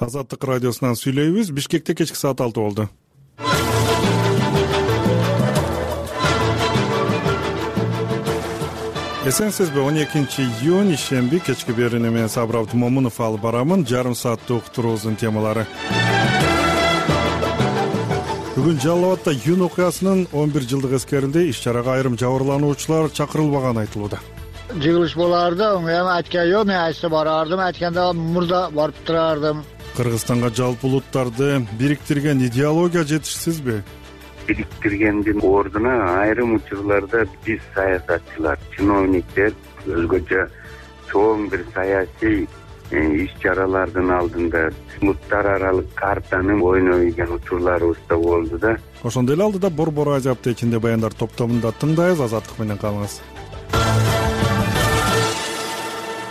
Азаттык радиосунан сүйлөйбүз. Бишкекте кечки саат 6 болду. Эсенсизби, 12-июнь ишемби кечки берүүнү мен Сабыр Абдымомунов алып барамын. Жарым сааттык уктуруубуздун темалары. Бүгүн Жалал Абадда июнь окуясынын 11 жылдык эскерилди. Иш-чарага айрым жабырлануучулар чакырылбаганы айтылууда. Жыгылыш боларды, мен айткан жок, мен айтса барардым, айтканда мурда барып турардым. Кыргызстанга жалпы улуттарды бириктирген идеология жетишсизби? Бириктиргендин ордуна айрым учурларда биз саясатчылар, чиновниктер өзгөчө чоң бир саясий иш-чаралардын алдында улуттар аралык картаны ойнойгон учурларыбыз да болду да. Ошондой эле алдыда Борбор Азия аптекинде баяндар топтомунда тыңдайбыз. Азаттык менен калыңыз.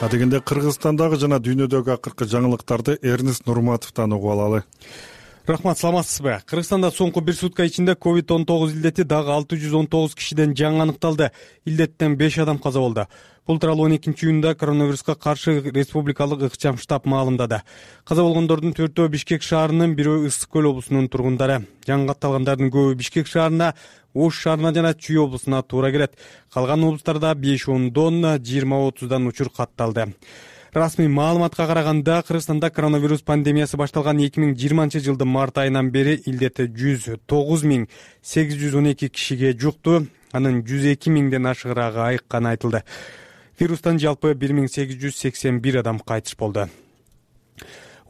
Адегенде Кыргызстандагы жана дүйнөдөгү акыркы жаңылыктарды Эрнест Нурматовдон угуп алалы. Рахмат, саламатсызбы? Кыргызстанда соңку бир сутка ичинде COVID-19 илдети дагы 619 кишиден жаңы аныкталды. Илдеттен 5 адам каза болду. Бул тууралуу 12-июнда коронавируска каршы республикалык ыкчам штаб маалымдады. Каза болгондордун 4-өө Бишкек шаарынын, бирөө Ысык көл облусунун тургундары. Жаңы катталгандардын көбү Бишкек шаарына, Ош шаарына жана Чүй облусуна туура келет. Калган облустарда 5-10дон 20-30дан учур катталды. Расмий маалыматка караганда, Кыргызстанда коронавирус пандемиясы башталган 2020-жылдын март айынан бери илдети 109.812 кишиге жукту. Анын 102.000ден ашыгыраагы айыкканы айтылды. Вирустан жалпы 1881 адам кайтыш болду.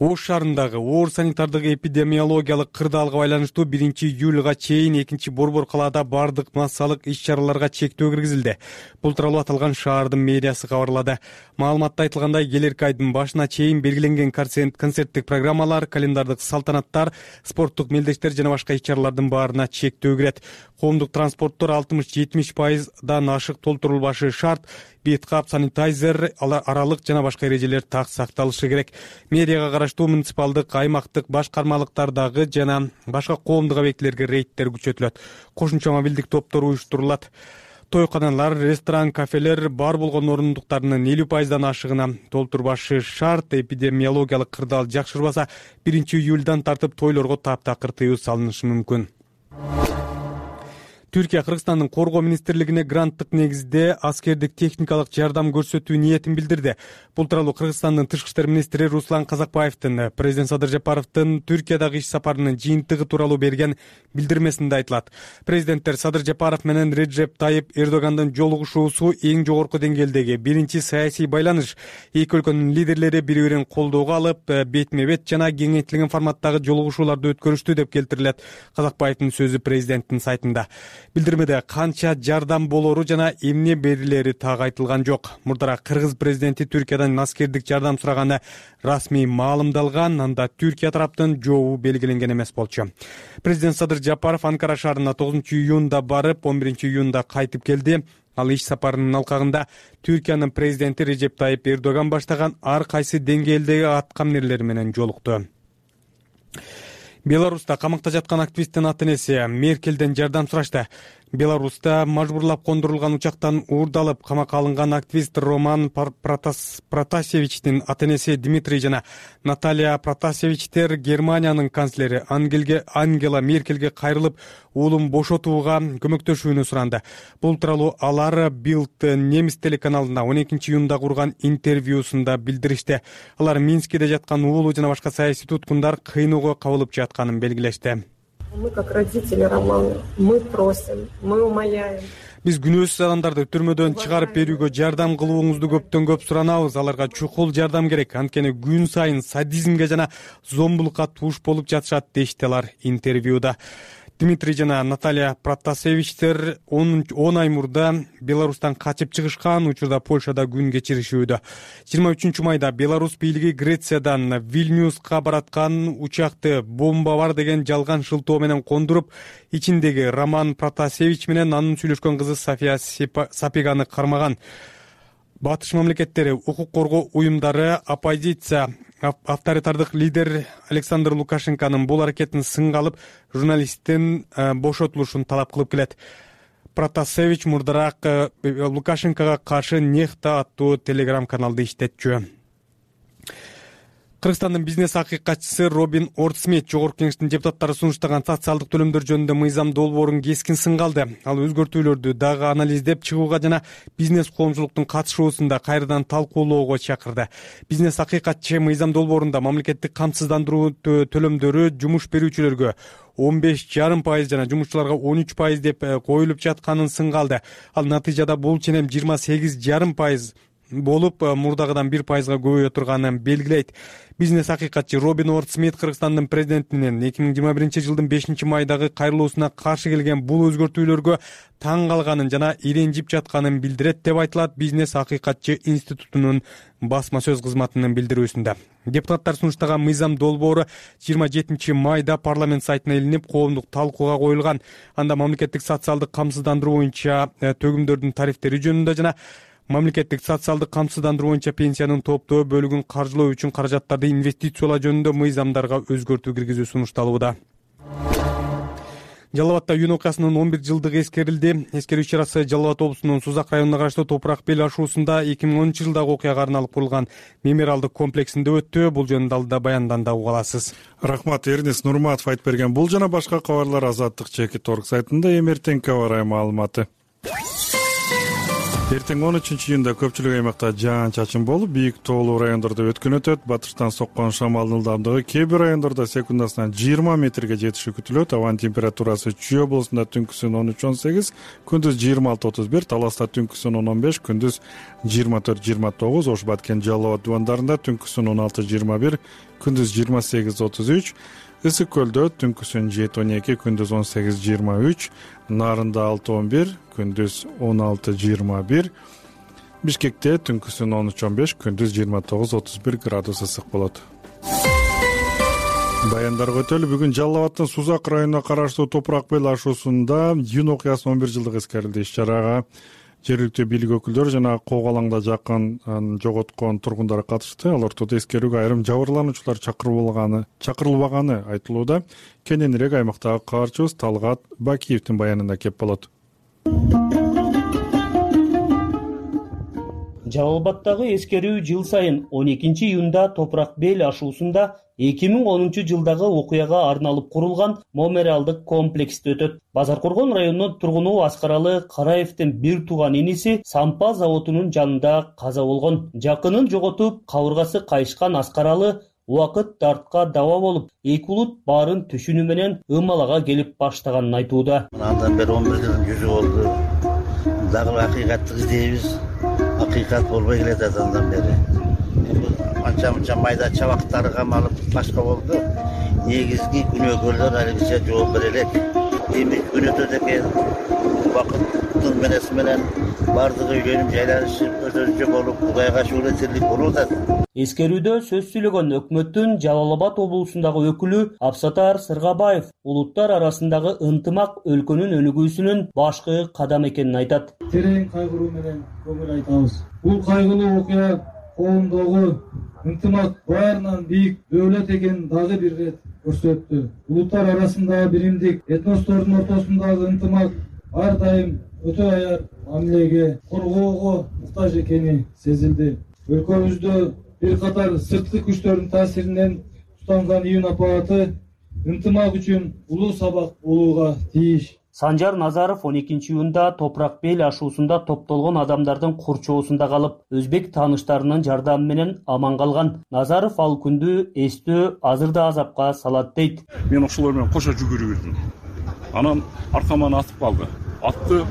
Ош шаарындагы оор санитардык эпидемиологиялык кырдаалга байланыштуу 1-июлга чейин 2-борбор калаада бардык массалык иш-чараларга чектөө киргизилди. Бул тууралуу аталган шаардын мэриясы кабарлады. Маалыматта айтылгандай, келерки айдын башына чейин белгиленген концерттик программалар, календардык салтанаттар, спорттук мелдештер жана башка иш-чаралардын баарына чектөө кирет. Коомдук транспорттор 60-70%дан ашык толтурулбашы шарт. Бет кап, санитайзер, аралык жана башка эрежелер так сакталышы керек. Мэрияга караштуу муниципалдык, аймактык башкармалыктардагы жана башка коомдук объектилерге рейдтер күчөтүлөт. Кошумча мобилдик топтор уюштурулат. Тойканалар, ресторан, кафелер бар болгон орундуктарынын 50%дан ашыгына толтурбашы шарт. Эпидемиологиялык кырдаал жакшырбаса, 1-июлдан тартып тойлорго таптакыр тыюу салынышы мүмкүн. Түркия Кыргызстандын Коргоо министрлигине гранттык негизде аскердик техникалык жардам көрсөтүү ниетин билдирди. Бул тууралуу Кыргызстандын тышкы иштер министри Руслан Казакбаевдин президент Садыр Жапаровдун Түркиядагы иш сапарынын жыйынтыгы тууралуу берген билдирмесинде айтылат. Президенттер Садыр Жапаров менен Реджеп Тайып Эрдогандын жолугушуусу эң жогорку деңгээлдеги биринчи саясий байланыш. Эки өлкөнүн лидерлери бири-бирин колдоого алып, бетме-бет жана кеңейтилген форматтагы жолугушууларды өткөрүштү деп келтирилет Казакбаевдин сөзү президенттин сайтында. Билдирмеде канча жардам болору жана эмне берилери так айтылган жок. Мурдара Кыргыз президенти Түркиядан аскердик жардам сураганы расмий маалымдалган, анда Түркия тараптын жообу белгиленген эмес болчу. Президент Садыр Жапаров Анкара шаарына 9-июнда барып, 11-июнда кайтып келди. Ал иш сапарынын алкагында Түркиянын президенти Реджеп Тайып Эрдоган баштаган ар кайсы деңгээлдеги аткаминерлер менен жолукту. Беларуста камакта жаткан активисттин ата-энеси Меркелден жардам сурашты. Беларуста мажбурлап кондурулган учактан уурдалып камакка алынган активист Роман Протасевичтин ата-энеси Дмитрий жана Наталья Протасевичтер Германиянын канцлери Ангела Меркелге кайрылып, уулун бошотууга көмөктөшүүнү суранды. Бул тууралуу алар Билд немис телеканалына 12-июнда курган интервьюсунда билдиришти. Алар Минскиде жаткан уулу жана башка саясий туткундар кыйноого кабылып жатканын белгилешти. Мы, как родители Романа, мы просим, мы умоляем. Биз күнөөсүз адамдарды түрмөдөн чыгарып берүүгө жардам кылууңузду көптөн көп суранабыз. Аларга чукул жардам керек. Анткени күн сайын садизмге жана зомбулукка туш болуп жатышат, дешти алар интервьюда. Дмитрий жана Наталья Протасевичтер 10 ай мурда Беларустан качып чыгышкан, учурда Польшада күн кечиришүүдө. 23 майда Беларусь бийлиги Грециядан Вильнюска бараткан учакты бомба бар деген жалган шылтоо менен кондуруп, ичиндеги Роман Протасевич менен анын сүйлөшкөн кызы София Сапеганы кармаган. Батыш мамлекеттери, укук коргоо уюмдары, оппозиция, авторитардык лидер Александр Лукашенконун бул аракетин сынга алып, журналисттин бошотулушун талап кылып келет. Протасевич мурдараак Лукашенкого каршы Нехта аттуу телеграм-каналды иштетчү. Кыргызстандын бизнес акыйкатчысы Робин Ортсмит жогорку кеңештин депутаттары сунуштаган социалдык төлөмдөр жөнүндө мыйзам долбоорун кескин сынга алды. Ал өзгөртүүлөрдү дагы анализдеп чыгууга жана бизнес коомчулуктун катышуусунда кайрадан талкуулоого чакырды. Бизнес акыйкатчы мыйзам долбоорунда мамлекеттик камсыздандыруу төлөмдөрү жумуш берүүчүлөргө 15,5% жана жумушчуларга 13% деп коюлуп жатканын сынга алды. Ал натыйжада бул ченем 28,5% болуп мурдагыдан 1%га көбөйө турганын белгилейт. Бизнес акыйкатчы Робин Ортсмит Кыргызстандын президентинин 2021-жылдын 5-майдагы кайрылуусуна каршы келген бул өзгөртүүлөргө таң калганын жана иренжип жатканын билдирет деп айтылат Бизнес акыйкатчы институтунун басма сөз кызматынын билдирүүсүндө. Депутаттар сунуштаган мыйзам долбоору 27-майда парламент сайтына илинип, коомдук талкууга коюлган. Анда мамлекеттик социалдык камсыздандыруу боюнча төгүмдөрдүн тарифтери жөнүндө жана мамлекеттик социалдык камсыздандыруу боюнча пенсиянын топтоо бөлүгүн каржылоо үчүн каражаттарды инвестициялоо жөнүндө мыйзамдарга өзгөртүү киргизүү сунушталууда. Жалал Абадта июнь окуясынын 11 жылдыгы эскерилди. Эскерүү иш-чарасы Жалал Абад облусунун Сузак районуна караштуу Топурак Бел ашуусунда 2010 жылдагы окуяга арналып курулган мемориалдык комплексинде өттү. Бул жөнүндө алда баянданда уга аласыз. Рахмат, Эрнис Нурматов айтып берген. Бул жана башка кабарлар Азаттык /Org сайтында эмертеңки аба маалыматы. Эртең 13 июнда көпчүлүк аймакта жаан-чачын болуп, бийик тоолуу райондордо өткөн өтөт. Батыштан соккон шамалдын ылдамдыгы кээ бир райондордо секундасына 20 метрге жетиши күтүлөт. Абанын температурасы Чүй облусунда түнкүсүн 13-18, күндүз 26-31, Таласта түнкүсүн 10-15, күндүз 24-29, Ош Баткен Жалал Абад дубандарында түнкүсүн 16-21, күндүз 28-33, Ысык көлдө түнкүсүн 7-12, күндүз 18-23, Нарында 6-11, күндүз 16-21, Бишкекте түнкүсүн 13-15, күндүз 29-31 градус ысык болот. Баяндарга өтөлү. Бүгүн Жалал Абадтын Сузак районуна караштуу Топурак Бел ашуусунда июнь окуясынын 11 жылдыгы эскерилди. Иш-чарага жергиликтүү бийлик өкүлдөрү жана Кок алаңда жакын жоготкон тургундар катышты. Ал ортодо эскерүүгө айрым жабырлануучулар чакырылбаганы айтылууда. Кененирээк аймактагы кабарчыбыз Талгат Бакиевдин баянында кеп болот. Жалал Абадтагы эскерүү жыл сайын 12 июнда Топурак Бел ашуусунда 2010 жылдагы окуяга арналып курулган мемориалдык комплексте өтөт. Базаркоргон районунун тургуну Аскаралы Караевдин бир тууган иниси сампа заводунун жанында каза болгон. Жакынын жоготуп, кабыргасы кайышкан Аскаралы убакыт дартка даба болуп, эки улут баарын түшүнүү менен ымалага келип баштаганын айтууда. Андан бери 11 жылдын жүзү болду. Дагы акыйкатты издейбиз. Акыйкат болбой келет андан бери. Анча майда чабактары камалып башка болду. Негизги күнөөкөрлөр алигиче жооп бере элек. Эми күн өтөт экен. Убакыттын менен бардыгы үйлөнүп жайланышып, өзүнчө болуп, Кудайга шүгүр этирлик болуп атат. Эскерүүдө сөз сүйлөгөн өкмөттүн Жалал Абад облусундагы өкүлү Абсатар Сыргабаев улуттар арасындагы ынтымак өлкөнүн өнүгүүсүнүн башкы кадам экенин айтат. Терең кайгыруу менен көңүл айтабыз. Бул кайгылуу окуя коомдогу ынтымак баарынан бийик дөөлөт экенин дагы бир ирет көрсөттү. Улуттар арасындагы биримдик, этностордун ортосундагы ынтымак ар дайым өтө аяр мамилеге, коргоого муктаж экени сезилди. Өлкөбүздө бир катар сырткы күчтөрдүн таасиринен тутанган июнь апааты ынтымак үчүн улуу сабак болууга тийиш. Санжар Назаров 12 июнда Топурак Бел ашуусунда топтолгон адамдардын курчоосунда калып, өзбек тааныштарынын жардамы менен аман калган. Назаров ал күндү эстөө азыр да азапка салат дейт. Мен ошолор менен кошо жүгүрүп жүрдүм. Анан аркаман атып калды. Атты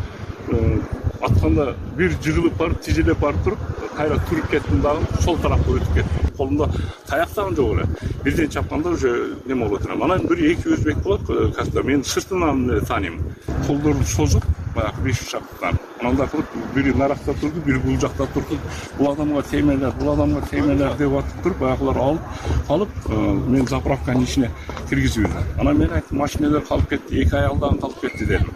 атканда бир жыгылып барып, тижелеп барып туруп, кайра туруп кеттим дагы сол тарапка өтүп кеттим. Колумда таяк дагы жок эле. Бирден чапканда уже неме болуп отурам. Анан бир эки өзбек болот, каста мен сыртынан тааныйм. Колдорун созуп, баягы 5 шактан. Анан кылып бири наракта турду, бири бул жакта турду. Бул адамга тиймелер деп атып туруп, баягылар алып калып, мен заправканын ичине киргизип. Анан мен айттым, машиналар калып кетти, эки аялдан калып кетти дедим.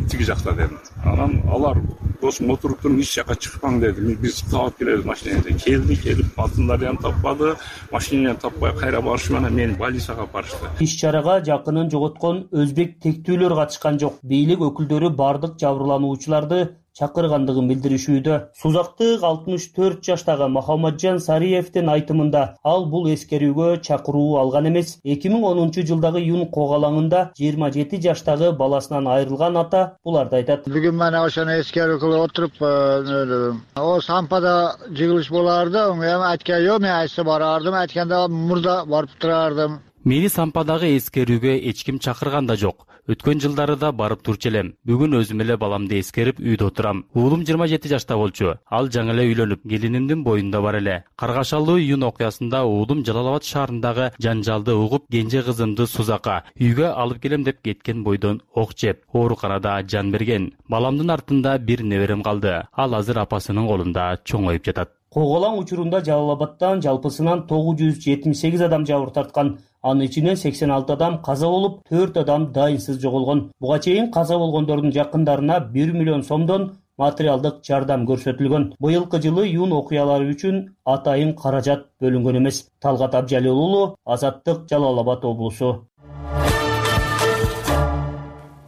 Тиги жакта дедим. Анан алар досум отуруп туруп ич жака чыкпаң деди. Биз кабат келебиз машинеде. Келип алтындардан таппады, машинени таппай кайра барышы менен мени больницага барышты. Иш-чарага жакынын жоготкон өзбек тектүүлөр катышкан жок. Бийлик өкүлдөрү бардык жабырлануучуларды чакыргандыгын билдиришүүдө. Сузактык 64 жаштагы Махамаджан Сариевдин айтымында ал бул эскерүүгө чакыруу алган эмес. 2010 жылдагы июнь когалаңында 27 жаштагы баласынан айрылган ата буларды айтат. Бүгүн мен ошону эскерүү кылып отуруп, о сампада жыгылыш боларды. Эми айткан жок, мен айсы барардым, айтканда мурда барып турардым. Мени сампадагы эскерүүгө эч ким чакырган да жок. Өткөн жылдары да барып турчу элем. Бүгүн өзүм эле баламды эскерип үйдө отурам. Уулум 27 жашта болчу. Ал жаңы эле үйлөнүп, келинимдин боюнда бар эле. Каргашалуу июнь окуясында уулум Жалал-Абад шаарындагы жанжалды угуп, кенже кызымды Сузакка үйгө алып келем деп кеткен бойдон ок жеп, ооруканада жан берген. Баламдын артында бир неберем калды. Ал азыр апасынын колунда чоңоюп жатат. Коголаң учурунда Жалал-Абадтан жалпысынан 978 адам жабыр тарткан. Анын ичинен 86 адам каза болуп, 4 адам дайынсыз жоголгон. Буга чейин каза болгондордун жакындарына 1 миллион сомдон материалдык жардам көрсөтүлгөн. Быйылкы жылы июнь окуялары үчүн атайын каражат бөлүнгөн эмес. Талгат Абжалил уулу, Азаттык, Жалал-Абад облусу.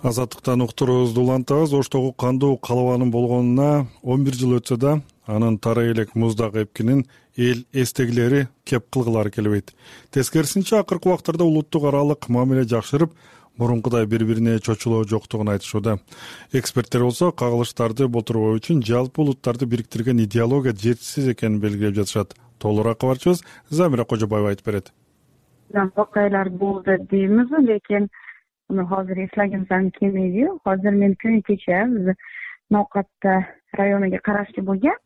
Азаттыктан уктуруубузду улантабыз. Оштогу кандуу калыбанын болгонуна 11 жыл өтсө да, анын тарай элек муздак эпкинин эл эстегилери кеп кылгылары келбейт. Тескерисинче, акыркы убактарда улуттук аралык мамиле жакшырып, мурункудай бири-бирине чочулоо жоктугун айтышууда. Эксперттер болсо кагылыштарды болтурбоо үчүн жалпы улуттарды бириктирген идеология жетишсиз экенин белгилеп жатышат. Толугураак кабарчыбыз Замира Кожобаева айтып берет. Окуялар болду дейбиз, лекин азыр эслегенсем келмейди. Азыр мен күнү кече биз Ноокатта районуга караштуу болгон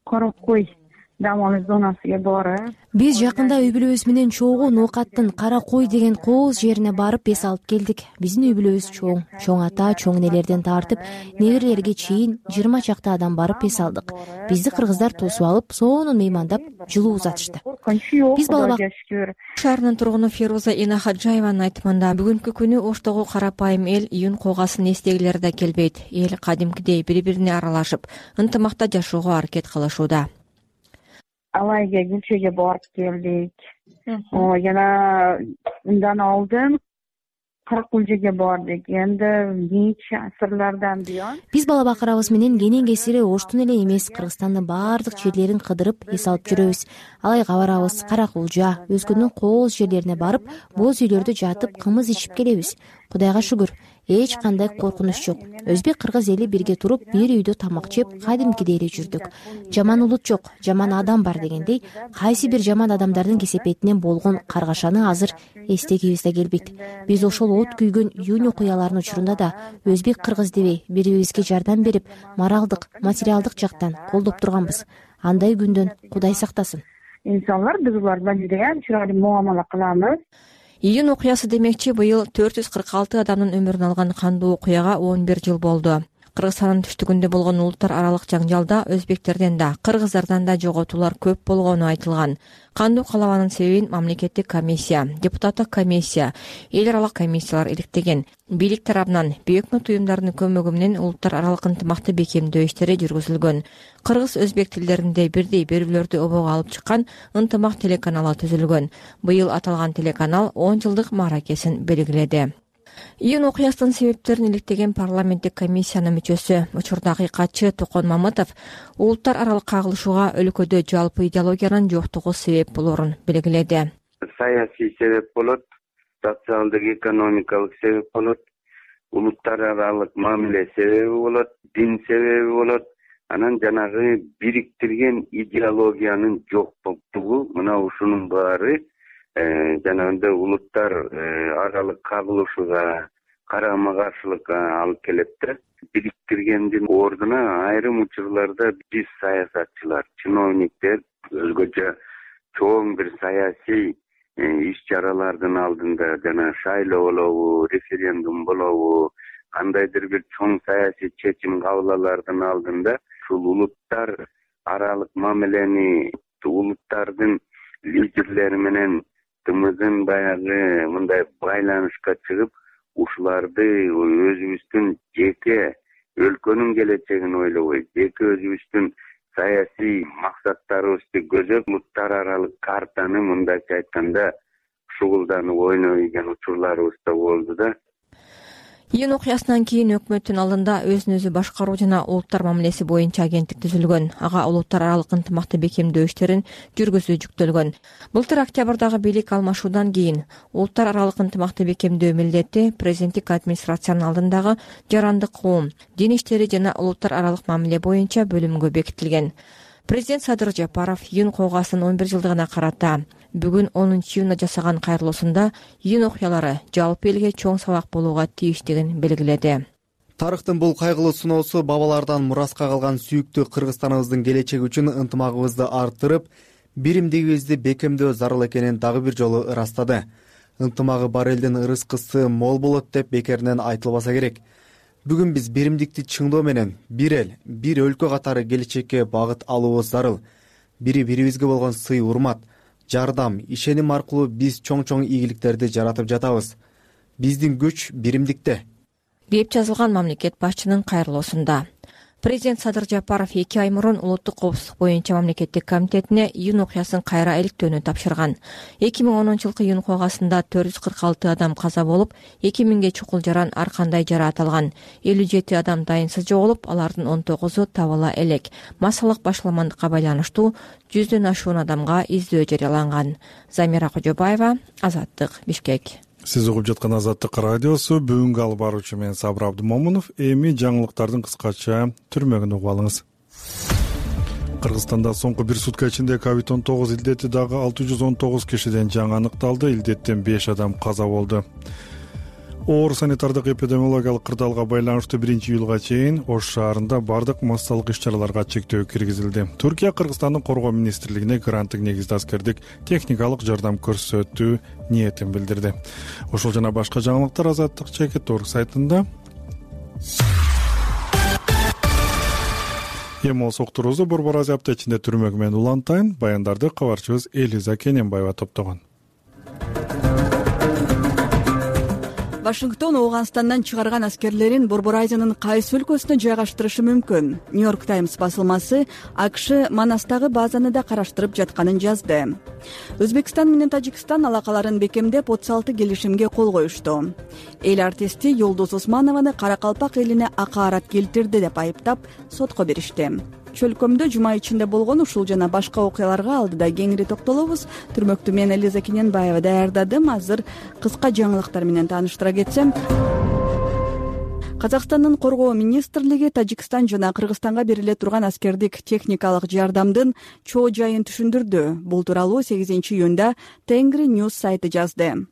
Кара Кой дам алуу зонасыга барып, биз жакында үй бүлөбүз менен чогуу Ноокаттын Кара Кой деген кооз жерине барып эс алып келдик. Биздин үй бүлөбүз чоң ата, чоң энелерден тартып, неберелерге чейин 20 чакта адам барып эс алдык. Бизди кыргыздар тосуп алып, сонун меймандап, жылуу узатышты. Биз балабак шаарынын тургуну Фируза Инахаджаеванын айтымында бүгүнкү күнү Оштогу карапайым эл июнь коогасын эстегилери да келбейт. Эл кадимкидей бири-бирине аралашып, ынтымакта жашоого аракет кылышууда. Алайга Гүлчөгө барып келдик. Жана ундан алдын Каракулжеге бардык. Эndi нече асырлардан буyon биз бала бакырабыз менен кенен кесири Оштун эле эмес, Кыргызстандын баардык жерлерин кыдырып эс алып жүрөбүз. Алайга барабыз, Каракулжа, өзгөнүн кооз жерлерине барып, боз үйлөрдө жатып, кымыз ичип келебиз. Кудайга шүгүр, эч кандай коркунуч жок. Өзбек кыргыз эли бирге туруп, бир үйдө тамак жеп, кадимкидей эле жүрдүк. Жаман улут жок, жаман адам бар дегендей, кайсы бир жаман адамдардын кесепетинен болгон каргашаны азыр эстегибизде келбейт. Биз ошол от күйгөн июнь окуяларынын учурунда да өзбек кыргыз дебей, бири-бирибизге жардам берип, моралдык, материалдык жактан колдоп турганбыз. Андай күндөн Кудай сактасын. Инсанлар биз булардан жудайам чырайлуу муамала кылабыз. Июнь окуясы демекчи, быйыл 446 адамдын өмүрүн алган кандуу окуяга 11 жыл болду. Кыргызстандын түштүгүндө болгон улуттар аралык жаңжалда өзбектерден да, кыргыздардан да жоготуулар көп болгону айтылган. Кандуу калабанын себебин мамлекеттик комиссия, депутаттык комиссия, эл аралык комиссиялар иликтеген. Бийлик тарабынан Бүйөк Мөт уюмдарынын көмөгү менен улуттар аралык ынтымакты бекемдөө иштери жүргүзүлгөн. Кыргыз-өзбек тилдеринде бирдей берүүлөрдү обого алып чыккан ынтымак телеканалы түзүлгөн. Быйыл аталган телеканал 10 жылдык мааракесин белгиледи. Июнь окуясынын себептерин иликтеген парламенттик комиссиянын мүчөсү, учурда акыйкатчы Токон Мамытов улуттар аралык кагылышууга өлкөдө жалпы идеологиянын жоктугу себеп болорун белгиледи. Саясий себеп болот, социалдык, экономикалык себеп болот, улуттар аралык мамиле себеби болот, дин себеби болот. Анан жанагы бириктирген идеологиянын жоктугу, мына ушунун баары жанагындай улуттар аралык кагылышууга карама каршылыкка алып келет да. Бириктиргендин ордуна айрым учурларда биз саясатчылар, чиновниктер өзгөчө чоң бир саясий иш-чаралардын алдында, жана шайлоо болобу, референдум болобу, кандайдыр бир чоң саясий чечим кабыл алаардын алдында ушул улуттар аралык мамилени улуттардын лидерлери менен тымызын баягы мындай байланышка чыгып, ушуларды өзүбүздүн жеке өлкөнүн келечегин ойлобой, жеке өзүбүздүн саясий максаттарыбызды көзөп, улуттар аралык картаны мындайча айтканда шугулданып ойнойгон учурларыбыз да болду да. Июнь окуясынан кийин өкмөттүн алдында өзүн өзү башкаруу жана улуттар мамилеси боюнча агенттик түзүлгөн. Ага улуттар аралык ынтымакты бекемдөө иштерин жүргүзүү жүктөлгөн. Былтыр октябрдагы бийлик алмашуудан кийин улуттар аралык ынтымакты бекемдөө милдети президенттик администрациянын алдындагы жарандык коом, дин иштери жана улуттар аралык мамиле боюнча бөлүмгө бекитилген. Президент Садыр Жапаров июнь окугасынын 11 жылдыгына карата бүгүн 10 июнда жасаган кайрылуусунда июнь окуялары жалпы элге чоң сабак болууга тийиштигин белгиледи. Тарыхтын бул кайгылуу сыноосу бабалардан мураска калган сүйүктүү Кыргызстаныбыздын келечеги үчүн ынтымагыбызды арттырып, биримдигибизди бекемдөө зарыл экенин дагы бир жолу ырастады. Ынтымагы бар элдин ырыскысы мол болот деп бекеринен айтылбаса керек. Бүгүн биз биримдикти чыңдоо менен бир эл, бир өлкө катары келечекке багыт алуубуз зарыл. Бири-бирибизге болгон сый урмат, жардам, ишеним аркылуу биз чоң-чоң ийгиликтерди жаратып жатабыз. Биздин күч биримдикте, деп жазылган мамлекет башчынын кайрылуусунда. Президент Садыр Жапаров 2 ай мурун улуттук коопсуздук боюнча мамлекеттик комитетине июнь окуясын кайра иликтөөнү тапшырган. 2010-жылкы июнь окугасында 446 адам каза болуп, 2000ге чукул жаран ар кандай жараат алган. 57 адам дайынсыз жоголуп, алардын 19-у табыла элек. Массалык башаламандыкка байланыштуу 100дөн ашуун адамга издөө жарыяланган. Замира Кожобаева, Азаттык, Бишкек. Сиз угуп жаткан Азаттык радиосу. Бүгүнкү алып баруучу мен Сабыр Абдымомунов. Эми жаңылыктардын кыскача түрмөгүн угуп алыңыз. Кыргызстанда соңку бир сутка ичинде COVID-19 илдети дагы 619 кишиден жаңы аныкталды. Илдеттен 5 адам каза болду. Оор санитардык эпидемиологиялык кырдаалга байланыштуу 1-июлга чейин Ош шаарында бардык массалык иш-чараларга чектөө киргизилди. Түркия Кыргызстандын коргоо министрлигине гранттык негизде аскердик техникалык жардам көрсөтүү ниетин билдирди. Ошол жана башка жаңылыктар Азаттык Чекит.org сайтында. Эми болсо уктуруубузду Борбор Азия апта ичинде түрмөгү менен улантайын. Баяндарды кабарчыбыз Элиза Кененбаева топтогон. Вашингтон Ооганстандан чыгарган аскерлерин Борбор Азиянын кайсы өлкөсүнө жайгаштырышы мүмкүн? Нью-Йорк Таймс басылмасы АКШ Манастагы базаны да караштырып жатканын жазды. Өзбекстан менен Тажикстан алакаларын бекемдеп 36 келишимге кол коюшту. Эл артисти Юлдуз Усманованы Каракалпак элине акаарат келтирди деп айыптап сотко беришти. Чөлкөмдө жума ичинде болгон ушул жана башка окуяларга алдыда кеңири токтолобуз. Түрмөктү мен Элиза Кененбаева даярдадым. Азыр кыска жаңылыктар менен тааныштыра кетсем. Казакстандын коргоо министрлиги Тажикстан жана Кыргызстанга бериле турган аскердик техникалык жардамдын чоо жайын түшүндүрдү. Бул тууралуу 8 июнда Тенгри News сайты жазды.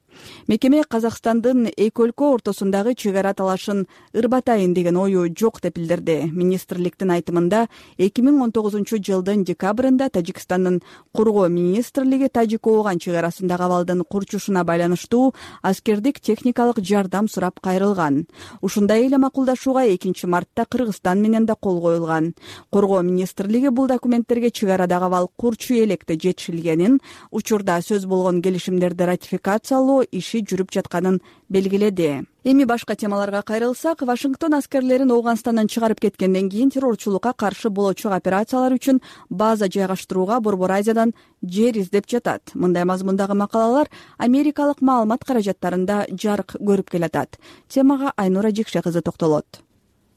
Мекеме Казакстандын эки өлкө ортосундагы чек ара талашын ырбатайын деген ою жок деп билдирди. Министрликтин айтымында 2019-жылдын декабрында Тажикстандын коргоо министрлиги Тажик-Ооган чек арасындагы абалдын курчушуна байланыштуу аскердик техникалык жардам сурап кайрылган. Ушундай эле макулдашууга 2 мартта Кыргызстан менен да кол коюлган. Коргоо министрлиги бул документтерге чек арадагы абал курчу электе жетишилгенин, учурда сөз болгон келишимдерди ратификациялоо иши жүрүп жатканын белгиледи. Эми башка темаларга кайрылсак, Вашингтон аскерлерин Ооганстандан чыгарып кеткенден кийин террорчулукка каршы болочок операциялар үчүн база жайгаштырууга Борбор Азиядан жер издеп жатат. Мындай мазмундагы макалалар америкалык маалымат каражаттарында жарык көрүп келатат. Темага Айнура Жекше кызы токтолот.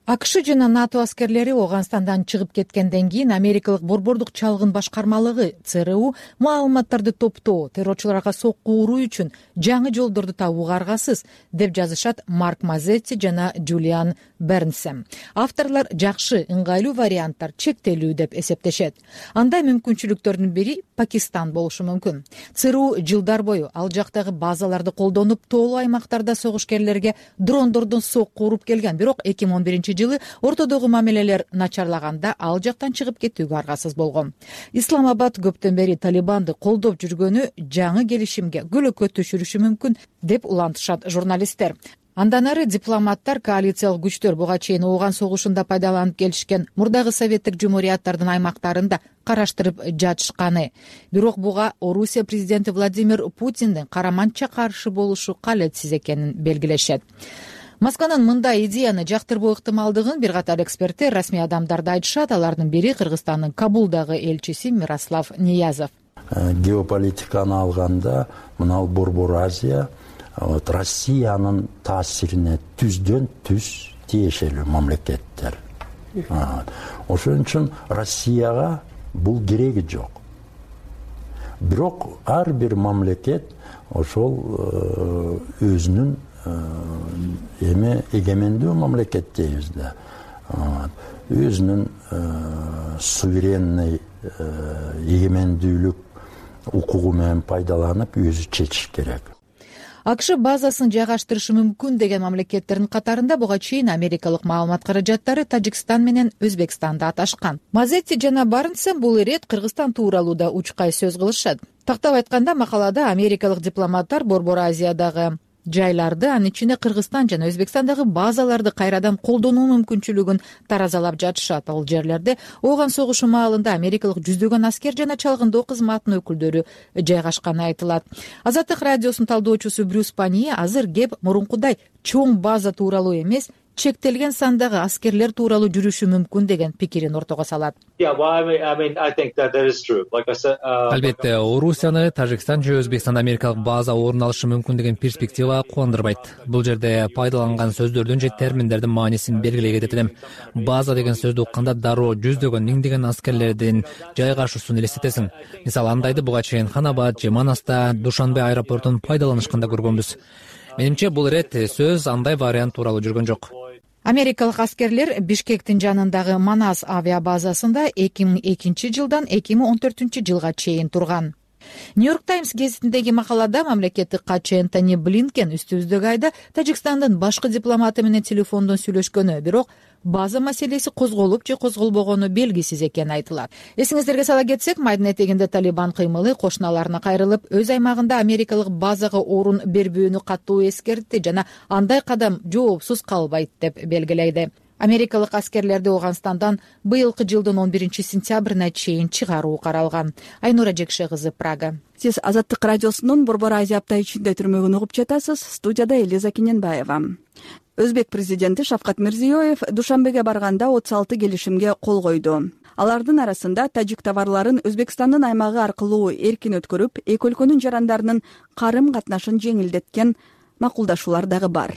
АКШ жана НАТО аскерлери Ооганстандан чыгып кеткенден кийин америкалык борбордук чалгын башкармалыгы ЦРУ маалыматтарды топтоо, террорчуларга сокку уруу үчүн жаңы жолдорду табууга аргасыз деп жазышат Марк Мазетти жана Джулиан Бернсем. Авторлор жакшы, ыңгайлуу варианттар чектелүү деп эсептешет. Андай мүмкүнчүлүктөрдүн бири Пакистан болушу мүмкүн. ЦРУ жылдар бою ал жактагы базаларды колдонуп, тоолуу аймактарда согушкерлерге дрондордон сокку уруп келген. Бирок 2011-жылы ортодогу мамилелер начарлаганда ал жактан чыгып кетүүгө аргасыз болгон. Исламабад көптөн бери Талибанды колдоп жүргөнү жаңы келишимге көлөкө түшүрүшү мүмкүн деп улантышат журналисттер. Андан ары дипломаттар коалициялык күчтөр буга чейин Ооган согушунда пайдаланып келишкен мурдагы советтик жумурияттардын аймактарында караштырып жатышканы. Бирок буга Орусия президенти Владимир Путиндин караманча каршы болушу калетсиз экенин белгилешет. Москванын мындай идеяны жактырбоо ыктымалдыгын бир катар эксперттер, расмий адамдарды айтышат. Алардын бири Кыргызстандын Кабулдагы элчиси Мирослав Ниязов. Геополитиканы алганда мына Борбор Азия Россиянын таасирине түздөн түз тиешелүү мамлекеттер. Ошон үчүн Россияга бул кереги жок. Бирок ар бир мамлекет ошол өзүнүн эгемендүү мамлекет дейбиз да. Өзүнүн суверенный эгемендүүлүк укугу менен пайдаланып өзү чечиш керек. АКШ базасын жайгаштырышы мүмкүн деген мамлекеттердин катарында буга чейин америкалык маалымат каражаттары Тажикстан менен Өзбекстанды аташкан. Мазетти жана Барнс бул ирет Кыргызстан тууралуу да учкай сөз кылышат. Тактап айтканда, макалада америкалык дипломаттар Борбор Азиядагы жайларды, анын ичинде Кыргызстан жана Өзбекстандагы базаларды кайрадан колдонуу мүмкүнчүлүгүн таразалап жатышат. Ал жерлерде ооган согушу маалында америкалык жүздөгөн аскер жана чалгындоо кызматынын өкүлдөрү жайгашканы айтылат. Азаттык радиосунун талдоочусу Брюс Пани азыр кеп мурункудай чоң база тууралуу эмес, чектелген сандагы аскерлер тууралуу жүрүшү мүмкүн деген пикирин ортого салат. Албетте, Орусияны Тажикстан же Өзбекстанда америкалык база орун алышы мүмкүн деген перспектива кубандырбайт. Бул жерде пайдаланган сөздөрдүн же терминдердин маанисин белгилей кетет элем. База деген сөздү укканда дароо жүздөгөн, миңдеген аскерлердин жайгашуусун элестетесиң. Мисалы, андайды буга чейин Ханабад же Манаста, Душанбе аэропортун пайдаланышканда көргөнбүз. Менимче бул ирет сөз андай вариант тууралуу жүргөн жок. Америкалык аскерлер Бишкектин жанындагы Манас авиабазасында 2002 жылдан 2014 жылга чейин турган. Нью-Йорк Таймс гезитиндеги макалада мамлекеттик катчы Энтони Блинкен үстүбүздөгү айда Тажикстандын башкы дипломаты менен телефондон сүйлөшкөнү, бирок база маселеси козголуп же козголбогону белгисиз экени айтылат. Эсиңиздерге сала кетсек, майдын этегинде Талибан кыймылы кошуналарына кайрылып, өз аймагында америкалык базага орун бербөөнү катуу эскертти жана андай кадам жоопсуз калбайт деп белгилейди. Америкалык аскерлерди Ооганстандан быйылкы жылдын 11 сентябрына чейин чыгаруу каралган. Айнура Жекше кызы, Прага. Сиз Азаттык радиосунун Борбор Азия апта ичинде түрмөгүн угуп жатасыз. Студияда Элиза Кененбаева. Өзбек президенти Шавкат Мирзиёев Душанбеге барганда 36 келишимге кол койду. Алардын арасында тажик товарларын Өзбекстандын аймагы аркылуу эркин өткөрүп, эки өлкөнүн жарандарынын карым катнашын жеңилдеткен макулдашуулар дагы бар.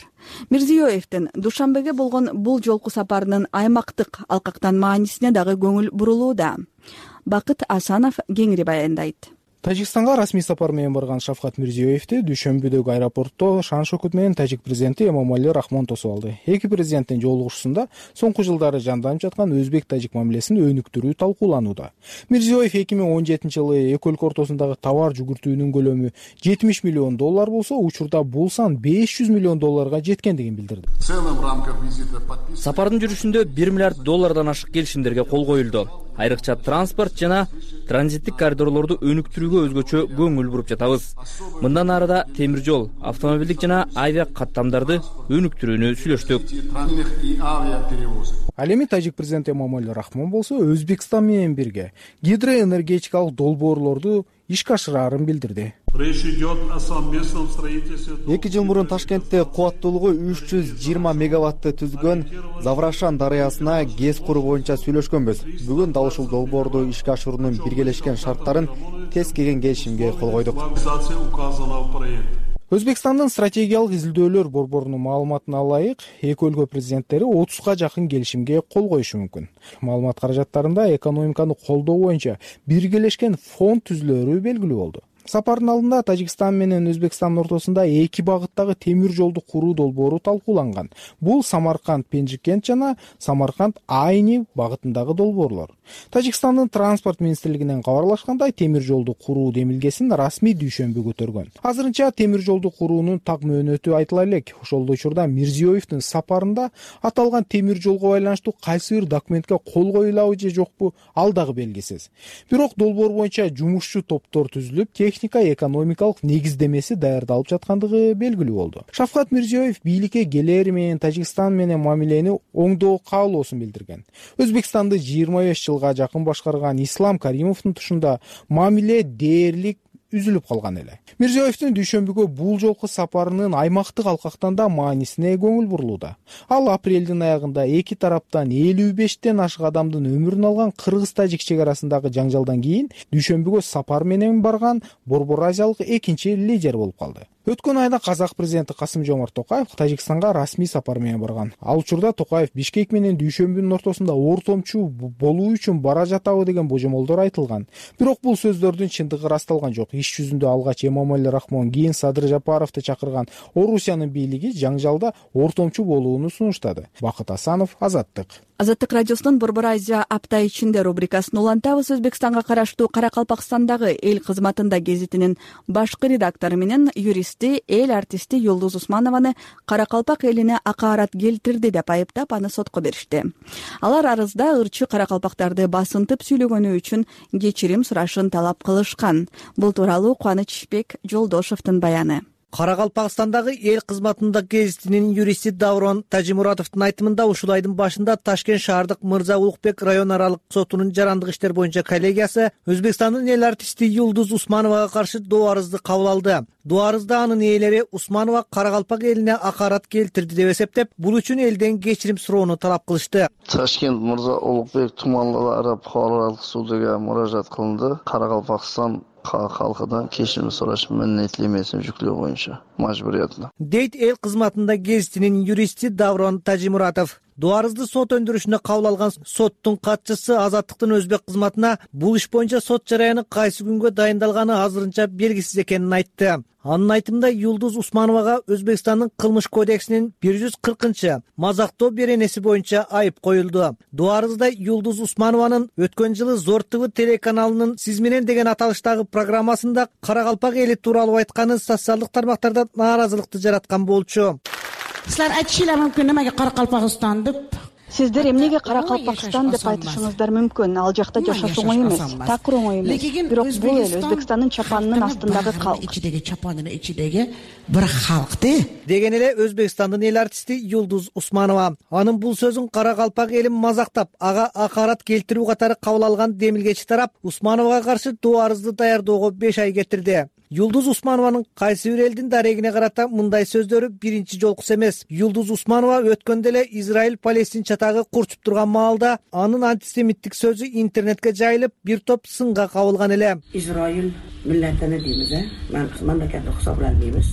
Мирзиёевдин Душанбеге болгон бул жолку сапарынын аймактык алкактан маанисине дагы көңүл бурулууда. Бакыт Асанов кеңири баяндайт. Тажикстанга расмий сапар менен барган Шавкат Мирзиёевди Дүйшөмбүдөгү аэропортто шан шөкөт менен тажик президенти Эмомали Рахмон тосуп алды. Эки президенттин жолугушуусунда соңку жылдары жанданып жаткан өзбек-тажик мамилесин өнүктүрүү талкууланууда. Мирзиёев 2017 жылы эки өлкө ортосундагы товар жүгүртүүнүн көлөмү $70 миллион болсо, учурда бул сан $500 миллион жеткендигин билдирди. Сапардын жүрүшүндө $1 миллиард ашык келишимдерге кол коюлду. Айрыкча транспорт жана транзиттик коридорлорду өнүктүрүүгө өзгөчө көңүл буруп жатабыз. Мындан ары да темир жол, автомобилдик жана авиа каттамдарды өнүктүрүүнү сүйлөштүк. Ал эми тажик президенти Эмомали Рахмон болсо Өзбекстан менен бирге гидроэнергетикалык долбоорлорду ишке ашырарын билдирди. 2 жыл мурун Ташкентте кубаттуулугу 320 мегаватты түзгөн Заврашан дарыясына ГЭС куруу боюнча сүйлөшкөнбүз. Бүгүн дал ушул долбоорду ишке ашыруунун биргелешкен шарттарын тез келген келишимге кол койдук. Өзбекстандын стратегиялык изилдөөлөр борборунун маалыматына ылайык, эки өлкө президенттери 30га жакын келишимге кол коюшу мүмкүн. Маалымат каражаттарында экономиканы колдоо боюнча биргелешкен фонд түзүлөрү белгилүү болду. Сапардын алдында Тажикстан менен Өзбекстандын ортосунда эки багыттагы темир жолду куруу долбоору талкууланган. Бул Самарканд-Пенжикент жана Самарканд-Айни багытындагы долбоорлор. Тажикстандын транспорт министрлигинен кабарлашкандай, темир жолду куруу демилгесин расмий Дүйшөмбү көтөргөн. Азырынча темир жолду куруунун так мөөнөтү айтыла элек. Ошол учурда Мирзиёевдин сапарында аталган темир жолго байланыштуу кайсы бир документке кол коюлабы же жокпу, ал дагы белгисиз. Бирок долбоор боюнча жумушчу топтор түзүлүп, экономикалык негиздемеси даярдалып жаткандыгы белгилүү болду. Шавкат Мирзиёев бийликке келери менен Тажикстан менен мамилени оңдоо каалоосун билдирген. Өзбекстанды 25 жылга жакын башкарган Ислам Каримовдун тушунда мамиле дээрлик үзүлүп калган эле. Мирзиёевдин Дүйшөмбүгө бул жолку сапарынын аймактык алкактан да маанисине көңүл бурулууда. Ал апрелдин аягында эки тараптан 55тен ашык адамдын өмүрүн алган кыргыз-тажик чек арасындагы жаңжалдан кийин Дүйшөмбүгө сапар менен барган Борбор Азиялык экинчи лидер болуп калды. Өткөн айда казак президенти Касым-Жомарт Токаев Тажикстанга расмий сапар менен барган. Ал учурда Токаев Бишкек менен Дүйшөмбүнүн ортосунда ортомчу болуу үчүн бара жатабы деген божомолдор айтылган. Бирок бул сөздөрдүн чындыгы ырасталган жок. Иш жүзүндө алгач Эмомали Рахмон, кийин Садыр Жапаровду чакырган Орусиянын бийлиги жаңжалда ортомчу болууну сунуштады. Бакыт Асанов, Азаттык. Азаттык радиосунун Борбор Азия апта ичинде рубрикасын улантабыз. Өзбекстанга караштуу Каракалпакстандагы эл кызматында гезитинин башкы редактору менен юристи, эл артисти Юлдуз Усманованы Каракалпак элине акаарат келтирди деп айыптап, аны сотко беришти. Алар арызда ырчы каракалпактарды басынтып сүйлөгөнү үчүн кечирим сурашын талап кылышкан. Бул тууралуу Кубанычбек Жолдошовдун баяны. Каракалпакстандагы эл кызматында гезитинин юристи Даврон Тажимуратовдун айтымында ушул айдын башында Ташкент шаардык Мырза Улукбек район аралык сотунун жарандык иштер боюнча коллегиясы Өзбекстандын эл артисти Юлдуз Усмановага каршы доо арызды кабыл алды. Доо арызда анын ээлери Усманова Каракалпак элине акаарат келтирди деп эсептеп, бул үчүн элден кечирим суроону талап кылышты. Ташкент Мырза Улукбек туманлары халыкаралык судуга муражаат кылынды. Каракалпакстан халкыдан кечирим сураш міндеттемесин жүктөө боюнча мажбуриятына, дейт эл кызматында гезитинин юристи Даврон Тажимуратов. Доо арызды сот өндүрүшүнө кабыл алган соттун катчысы Азаттыктын өзбек кызматына бул иш боюнча сот жараяны кайсы күнгө дайындалганы азырынча белгисиз экенин айтты. Анын айтымында Юлдуз Усмановага Өзбекстандын кылмыш кодексинин 140 мазактоо беренеси боюнча айып коюлду. Доо арызда Юлдуз Усманованын өткөн жылы Зор ТВ телеканалынын «Сиз менен» деген аталыштагы программасында Каракалпак эли тууралуу айтканы социалдык тармактарда нааразылыкты жараткан болчу. Силер айтышыңар мүмкүн немеге Каракалпакстан деп? Сиздер эмнеге Каракалпакстан деп айтышыңыздар мүмкүн. Ал жакта жашаш оңой эмес, такыр оңой эмес. Бирок бул эл Өзбекстандын чапанынын астындагы калк. Ичидеги чапанынын ичидеги бир калкты. Деген эле Өзбекстандын эл артисти Юлдуз Усманова. Анын бул сөзүн Каракалпак элин мазактап, ага акаарат келтирүү катары кабыл алган демилгечи тарап Усмановага каршы доо арызды даярдоого 5 ай кетирди. Юлдуз Усманованын кайсы бир элдин дарегине карата мындай сөздөрү биринчи жолкусу эмес. Юлдуз Усманова өткөндө эле Израиль-Палестин чатагы курчуп турган маалда анын антисемиттик сөзү интернетке жайылып, бир топ сынга кабылган эле. Израиль милләтине дейбиз, мамлекетти хисапланбайбыз.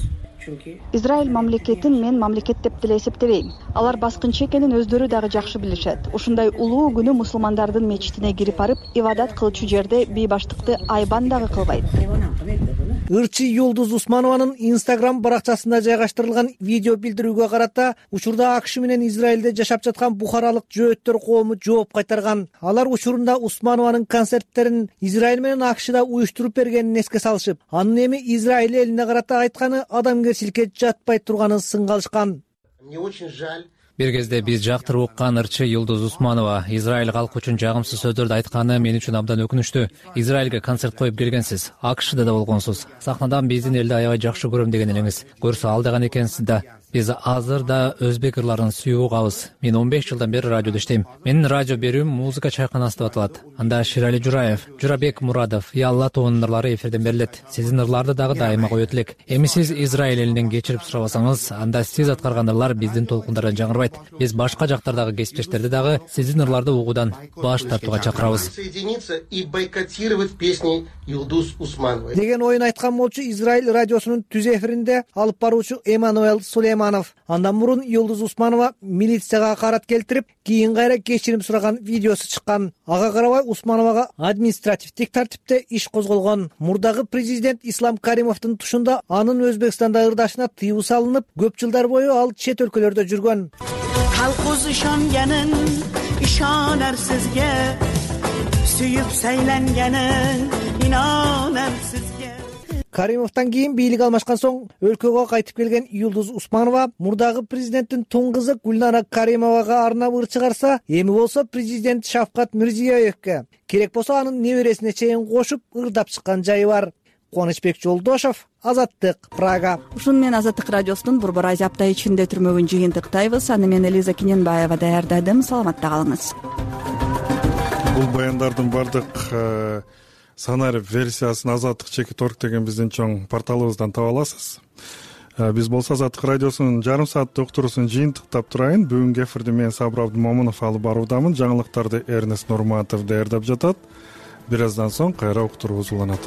Израиль мамлекетин мен мамлекет деп деле эсептебейм. Алар баскынчы экенин өздөрү дагы жакшы билишет. Ушундай улуу күнү мусулмандардын мечитине кирип барып, ибадат кылчу жерде бейбаштыкты айбан дагы кылбайт. Ырчы Юлдуз Усманованын Instagram баракчасында жайгаштырылган видео билдирүүгө карата учурда АКШ менен Израилде жашап жаткан бухаралык жөөттөр коому жооп кайтарган. Алар учурунда Усманованын концерттерин Израиль менен АКШда уюштуруп бергенин эске салышып, анын эми Израиль элине карата айтканы адамгерчиликке жатпай турганын сынга алышкан. Мне очень жаль. Бир кезде биз жактырып уккан ырчы Юлдуз Усманова Израиль калкы үчүн жагымсыз сөздөрдү айтканы мен үчүн абдан өкүнүчтүү. Израилге концерт коюп келгенсиз, АКШда да болгонсуз. Сахнадан биздин элди аябай жакшы көрөм деген элеңиз. Көрсө алдаган экенсиз да. Биз азыр да өзбек ырларын сүйүп угабыз. Мен 15 жылдан бери радиодо иштейм. Менин радио берүүм музыка чайканасы деп аталат. Анда Ширали Жураев, Журабек Мурадов, Ялла тобунун ырлары эфирден берилет. Сиздин ырларды дагы дайыма коет элек. Эми сиз Израиль элинен кечирип сурабасаңыз, анда сиз аткарган ырлар биздин толкундардан жаңырбайт. Биз башка жактардагы кесиптештерди дагы сиздин ырларды угуудан баш тартууга чакырабыз. Деген оюн айткан болчу Израиль радиосунун түз эфиринде алып баруучу Эммануэл Сулейманов. Андан мурун Юлдуз Усманова милицияга акаарат келтирип, кийин кайра кечирим сураган видеосу чыккан. Ага карабай Усмановага административдик тартипте иш козголгон. Мурдагы президент Ислам Каримовдун тушунда анын Өзбекстанда ырдашына тыюу салынып, көп жылдар бою ал чет өлкөлөрдө жүргөн. Halkuz ishonganin ishonar sizga, suyib saylanganin inonar sizga. Каримовдон кийин бийлик алмашкан соң өлкөгө кайтып келген Юлдуз Усманова мурдагы президенттин тун кызы Гүлнара Каримовага арнап ыр чыгарса, эми болсо президент Шавкат Мирзиёевке, керек болсо анын небересине чейин кошуп ырдап чыккан жайы бар. Кубанычбек Жолдошов, Азаттык, Прага. Ушун менен Азаттык радиосунун Борбор Азия апта ичинде түрмөгүн жыйынтыктайбыз. Аны мен Элиза Кененбаева даярдадым. Саламатта калыңыз. Бул баяндардын бардык санарип версиясын Азаттык чекит орг деген биздин чоң порталыбыздан таба аласыз. Биз болсо Азаттык радиосунун жарым сааттык уктуруусун жыйынтыктап турайын. Бүгүнкү эфирди мен Сабыр Абдымомунов алып баруудамын. Жаңылыктарды Эрнест Нурматов даярдап жатат. Бир аздан соң кайра уктуруубуз уланат.